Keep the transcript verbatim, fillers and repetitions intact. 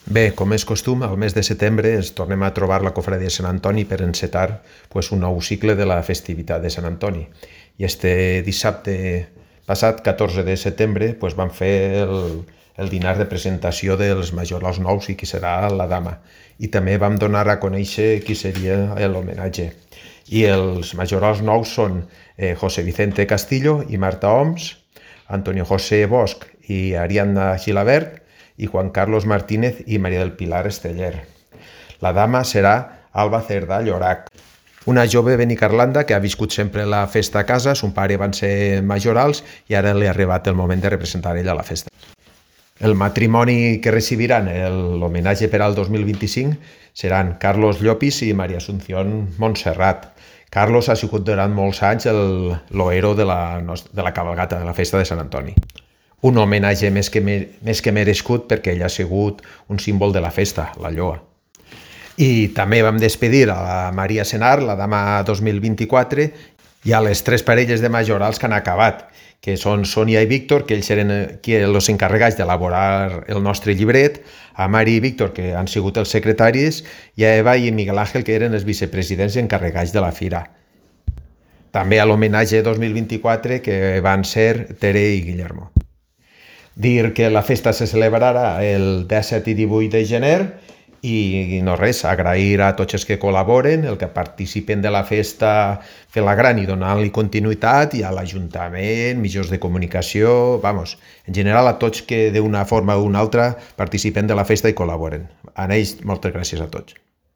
Bé, com és costum, al mes de setembre ens tornem a trobar la cofradia de Sant Antoni per encetar pues, un nou cicle de la festivitat de Sant Antoni. I este dissabte passat, catorze de setembre, pues, vam fer el, el dinar de presentació dels majorals nous i qui serà la dama. I també vam donar a conèixer qui seria l'homenatge. I els majorals nous són eh, José Vicente Castillo i Marta Oms, Antonio José Bosch i Ariadna Gilabert, i Juan Carlos Martínez i Maria del Pilar Esteller. La dama serà Alba Cerdà Llorac, una jove benicarlanda que ha viscut sempre la festa a casa. Son pare van ser majorals i ara li ha arribat el moment de representar ella a la festa. El matrimoni que recibiran l'homenatge per al dos mil vint-i-cinc seran Carlos Llopis i Maria Asunción Montserrat. Carlos ha sigut durant molts anys l'oero de, la, de la cabalgata de la festa de Sant Antoni. Un homenatge més que, més que merescut perquè ell ha sigut un símbol de la festa, la lloa. I també vam despedir a la Maria Senar, la dama dos mil vint-i-quatre, i a les tres parelles de majorals que han acabat, que són Sònia i Víctor, que ells eren els encarregats d'elaborar el nostre llibret, a Mari i Víctor, que han sigut els secretaris, i a Eva i Miguel Ángel, que eren els vicepresidents i encarregats de la fira. També a l'homenatge dos mil vint-i-quatre, que van ser Tere i Guillermo. Dir que la festa se celebrarà el disset i divuit de gener i no res, agrair a tots els que col·laboren, el que participen de la festa fent-la gran i donant-li continuïtat, i a l'Ajuntament, mitjans de comunicació, vamos, en general a tots que d'una forma o una altra participen de la festa i col·laboren. A ells, moltes gràcies a tots.